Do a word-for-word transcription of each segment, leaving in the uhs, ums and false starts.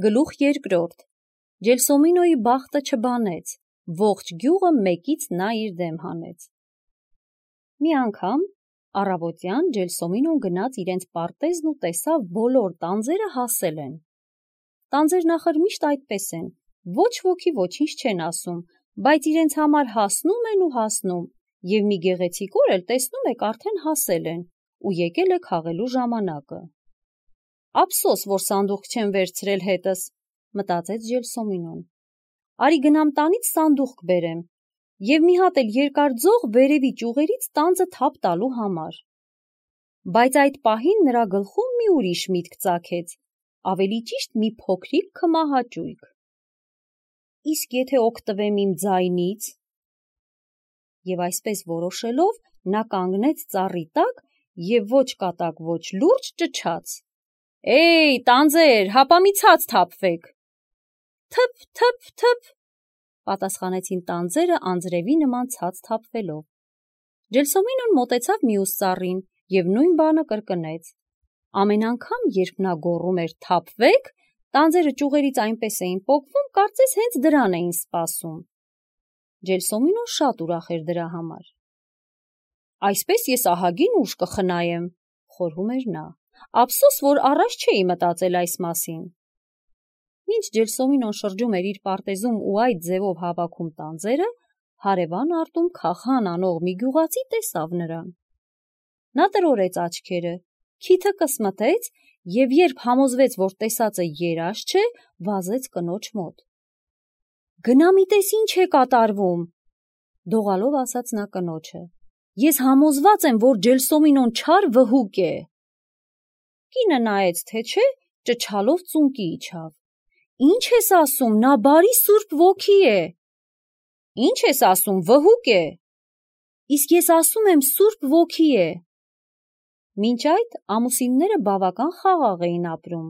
Գլուխ երկրորդ. Ջելսոմինոյի բախտը չբանեց, ողջ գյուղը մեկից նա իր դեմ հանեց։ Մի անգամ առավոտյան Ջելսոմինոն գնաց իրենց պարտեզն ու տեսավ բոլոր տանձերը հասել են։ Տանձերն ախր միշտ այդպես են, ոչ ոքի ոչինչ չեն ասում, բայց իրենց համար հասնում են ու հասնում, և մի գեղեցիկ օր էլ տեսնում եք արդեն հասել են ու եկել է քաղելու ժամանակը։ Ափսոս, որ սանդուղք չեմ վերցրել հետս, մտածեց Ջելսոմինոն։ Արի գնամ տանից սանդուղք բերեմ և մի հատ էլ երկար ձող վերևի ճյուղերից տանձը թափ տալու համար։ Բայց այդ պահին նրա գլխում մի ուրիշ միտք ծագեց, ավելի ճիշտ մի փոքրիկ քմահաճույք։ Իսկ եթե օգտվեմ իմ ձայնից։ Եվ այսպես որոշելով, նա կանգնեց ծառի տակ և ոչ կատակ, ոչ լուրջ ճչաց. «Էյ, տանձեր, հապա մի ցած թափվեք»։ «Թփ, թփ, թփ», պատասխանեցին տանձերը անձրևի նման ցած թափվելով։ Ջելսոմինոն մոտեցավ մյուս ծառին և նույն բանը կրկնեց։ Ամեն անգամ, երբ նա գոռում էր «թափվեք», տանձերը ճյուղերից այնպես էին պոկվում, կարծես հենց դրան էին սպասում։ Ջելսոմինոն շատ ուրախ էր դրա համար։ «Այսպես ես ահագին ուժ կխնայեմ», խորհում էր նա։ «Ափսոս, որ առաջ չէի մտածել այս մասին»։ Մինչ Ջելսոմինոն շրջում էր իր պարտեզում ու այդ ձևով հավաքում տանձերը, հարևան արտում Քախան անող մի գյուղացի տեսավ նրան։ Նա տրորեց աչքերը, քիթը կսմթեց և երբ համոզվեց, որ տեսածը երազ չէ, վազեց կնոջ մոտ։ «Գնա մի տես ինչ է կատարվում», դողալով ասաց նա կնոջը։ «Ես համոզված եմ, որ Ջելսոմինոն չար վհուկ է»։ Կինը նայեց, թե չէ, ճչալով ծունկի իջավ։ «Ինչ ես ասում, նա բարի սուրբ ոգի է»։ «Ինչ ես ասում, վհուկ է»։ «Իսկ ես ասում եմ, սուրբ ոգի է»։ Մինչ այդ ամուսինները բավական խաղաղ էին ապրում,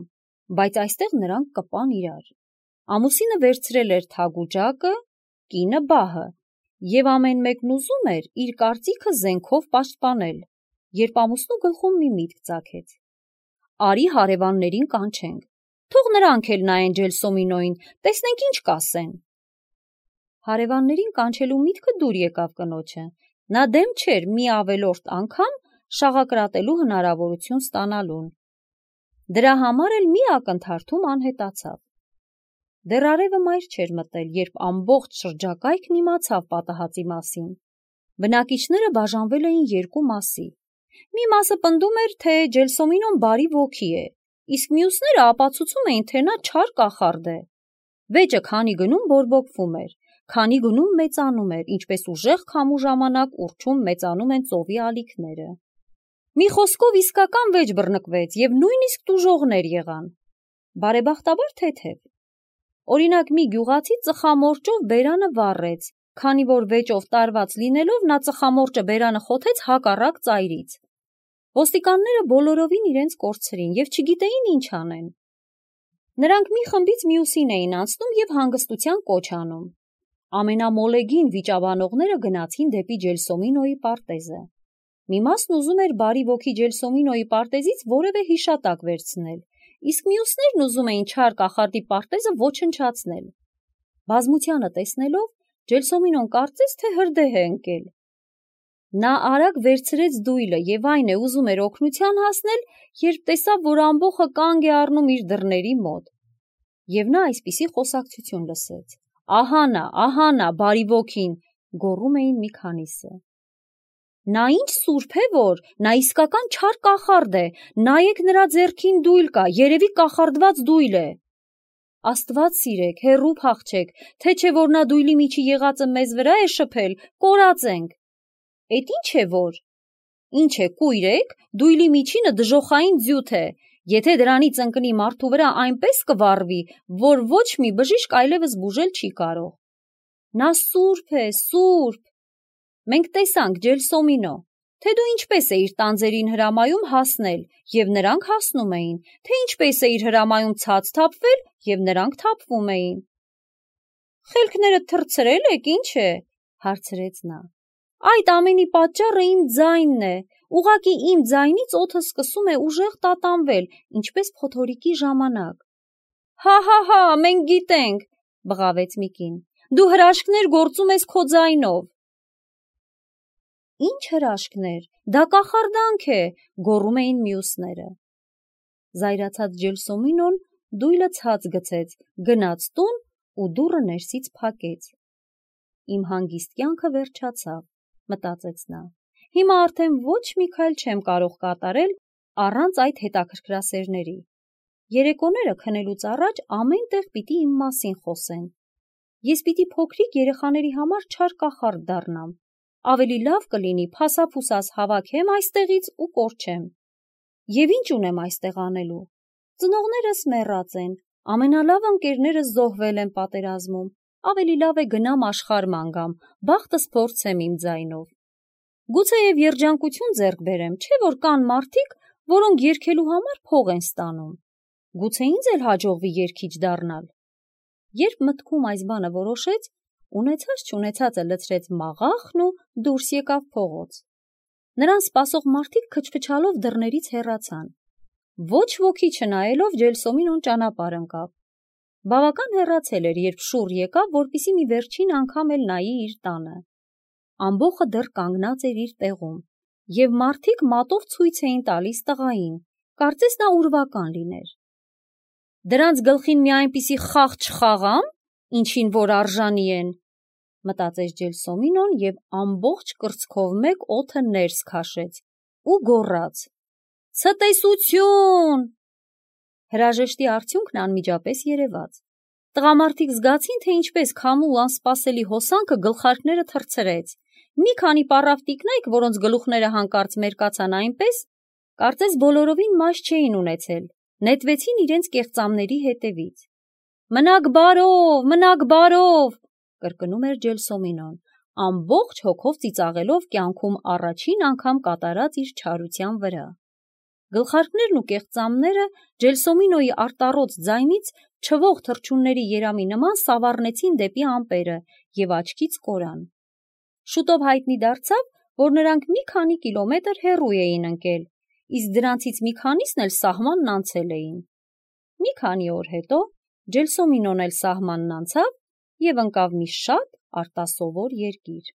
բայց այստեղ նրանք կպան իրար։ Ամուսինը վերցրել էր թագուջակը, կինը բահը, և ամեն մեկն ուզում էր իր կարծիքը զենքով պաշտպանել, երբ ամուսնու գլխում մի միտք ծագեց. «Արի հարևաններին կանչենք, թող նրանք էլ նայեն Ջելսոմինոյին, տեսնենք ինչ կասեն»։ Հարևաններին կանչելու միտքը դուր եկավ կնոջը, նա դեմ չէր մի ավելորդ անգամ շաղակրատելու հնարավորություն ստանալուն։ Դրա համար էլ մի ակնթարթում անհետացավ։ Դեռ արևը մայր չէր մտել, երբ ամբողջ շրջակայքն իմացավ պատահածի մասին։ Բնակիչները բաժանվել էին երկու մասի։ Մի մասը պնդում էր, թե Ջելսոմինոն բարի ոգի է, իսկ մյուսները ապացուցում էին, թե նա չար կախարդ է։ Վեճը քանի գնում բորբոքվում էր, քանի գնում մեծանում էր, ինչպես ուժեղ քամու ժամանակ ուռչում մեծանում են ծովի ալիքները։ Մի խոսքով իսկական վեճ բռնկվեց և նույնիսկ տուժողներ եղան։ Բարեբախտաբար թեթև։ Օրինակ մի գյուղացի ծխամորճով բերանը վառեց, քանի որ վեճով տարված լինելով նա ծխամորճը բերանը խոթեց հակառակ ծայրից։ Ոստիկանները բոլորովին իրենց կորցրին և չգիտեին ինչ անեն։ Նրանք մի խմբից մյուսին էին անցնում և հանգստության կոչ անում։ Ամենամոլեգին վիճաբանողները գնացին դեպի Ջելսոմինոյի պարտեզը։ Մի մասն ուզում էր բարի ոգի Ջելսոմինոյի պարտեզից որևէ հիշատակ վերցնել, իսկ մյուսներն ուզում էին չար կախարդի պարտեզը ոչնչացնել։ Բազմությանը տեսնելով, Ջելսոմինոն կարծեց, թե հրդեհ է ընկել։ Նա արագ վերցրեց դույլը և այն է ուզում էր օգնության հասնել, երբ տեսավ, որ ամբոխը կանգ է առնում իր դռների մոտ։ Եվ նա այսպիսի խոսակցություն լսեց. «Ահա նա, ահա նա, բարի ոգին», գոռում էին մի քանիսը։ «Նա ինչ սուրբ է, որ, նա իսկական չար կախարդ է, նայեք նրա ձեռքին դույլ կա, երևի կախարդված դույլ է։ Աստված սիրեք, հեռու փախչեք, թե չէ որ նա դույլի միջի եղածը մեզ վրա է շփել, կորած ենք։ Էդ ինչ է որ։ Ինչ է, կույր եք, դույլի միջինը դժոխային ձյութ է, եթե դրանից ընկնի մարդու վրա այնպես կվառվի, որ ոչ մի բժիշկ այլևս բուժել չի կարող։ Նա սուրբ է, սուրբ։ Մենք տեսանք Ջելսոմինո, թե դու ինչպես էիր տանձերին հրամայում հասնել, և նրանք հասնում էին, թե ինչպես էիր հրամայում ցած թափվել, և նրանք թափվում էին։ Խելքներդ թռցրել եք, ինչ է, հարցրեց նա։ Այդ ամենի պատճառը իմ ձայնն է, ուղղակի իմ ձայնից օդը սկսում է ուժեղ տատանվել, ինչպես փոթորիկի ժամանակ։ Հա հա հա, մենք գիտենք, բղավեց Միկին, դու հրաշքներ գործում ես քո ձայնով։ Ինչ հրաշքներ, դա կախարդանք է, գոռում էին մյուսները։ Զայրացած Ջելսոմինոն դույլը ցած գցեց, գնաց տուն ու դուռը ներսից փակեց։ Իմ հանգիստ կյանքը վերջացավ, մտածեց նա։ Հիմա արդեն ոչ մի քայլ չեմ կարող կատարել առանց այդ հետաքրքրասերների։ Երեկոները քնելուց առաջ ամեն տեղ պիտի իմ մասին խոսեն։ Ես պիտի փոքրիկ երեխաների համար չար կախարդ դառնամ։ Ավելի լավ կլինի փասափուսաս հավաքեմ այստեղից ու կորչեմ։ Եվ ինչ ունեմ այստեղ անելու։ Ծնողներս մեռած են, ամենալավ ընկերներս զոհվել են պատերազմում, ավելի լավ է գնամ աշխարհ գամ, բախտս փորձեմ իմ ձայնով։ Գուցեև երջանկություն ձեռք բերեմ, չէ՞ որ կան մարդիկ, որոնք երգելու համար փող են ստանում։ Գուցե ինձ էլ հաջողվի երգիչ դառնալ։ Երբ մտքում այս բանը որոշեց, ունեցած չունեցածը լցրեց մաղախն ու դուրս եկավ փողոց։ Նրան սպասող մարդիկ քչփչալով դռներից հեռացան։ Ոչ ոքի չնայելով Ջելսոմինոն ճանապարհ ընկավ։ Բավական հեռացել էր, երբ շուռ եկավ, որպեսզի մի վերջին անգամ էլ նայի իր տանը։ Ամբոխը դեռ կանգնած էր իր տեղում, և մարդիկ մատով ցույց էին տալիս տղային, կարծես նա ուրվական լիներ։ Դրանց գլխին մի այնպիսի խաղ չխաղամ, ինչին որ արժանի են, մտածեց Ջելսոմինոն և ամբողջ կրծքով մեկ օդը ներս քաշեց ու գոռաց. «Ցտեսություն»։ Հրաժեշտի արդյունքն անմիջապես երևաց։ Տղամարդիկ զգացին, թե ինչպես քամու անսպասելի հոսանքը գլխարկները թռցրեց։ Մի քանի պառավ տիկնայք, որոնց գլուխները հանկարծ մերկացան այնպես, կարծես բոլորովին մաշ չէին ունեցել, նետվեցին իրենց կեղծամների հետևից։ «Մնաք բարով, մնաք բարով», կրկնում էր Ջելսոմինոն, ամբողջ հոգով ծիծաղելով կյանքում առաջին անգամ կատարած իր չարության վրա։ Գլխարկներն ու կեղծամները Ջելսոմինոյի արտառոց ձայնից չվող թռչունների երամի նման սավառնեցին դեպի ամպերը և աչքից կորան։ Շուտով հայտնի դարձավ, որ նրանք մի քանի կիլոմետր հեռու էին ընկել, իսկ դրանցից մի քանիսն էլ սահմանն անցել էին։ Մի քանի օր հետո Ջելսոմինոն էլ սահմանն անցավ և ընկավ մի շատ արտասովոր երկիր։